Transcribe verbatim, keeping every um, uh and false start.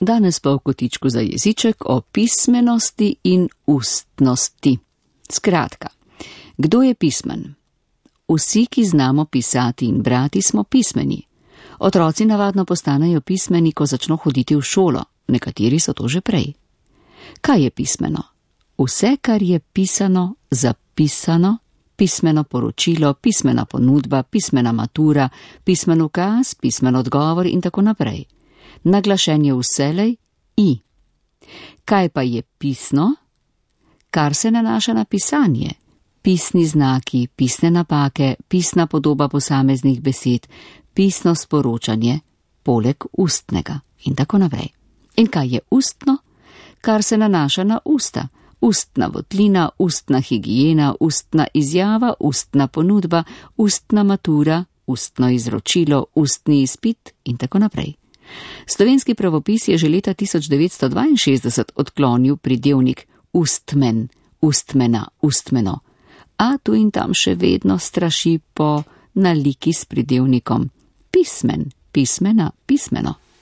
Danes pa v kotičku za jeziček o pismenosti in ustnosti. Skratka, kdo je pismen? Vsi, ki znamo pisati in brati, smo pismeni. Otroci navadno postanejo pismeni, ko začno hoditi v šolo, nekateri so to že prej. Kaj je pismeno? Vse, kar je pisano, zapisano, pismeno poročilo, pismena ponudba, pismena matura, pismen ukaz, pismen odgovor in tako naprej. Naglašen je vselej i. Kaj pa je pisno? Kar se nanaša na pisanje. Pisni znaki, pisne napake, pisna podoba posameznih besed, pisno sporočanje, poleg ustnega in tako naprej. In kaj je ustno? Kar se nanaša na usta. Ustna votlina, ustna higiena, ustna izjava, ustna ponudba, ustna matura, ustno izročilo, ustni izpit in tako naprej. Slovenski pravopis je že leta tisoč devetsto dvainšestdeset odklonil pridevnik ustmen, ustmena, ustmeno, a tu in tam še vedno straši po naliki s pridevnikom pismen, pismena, pismeno.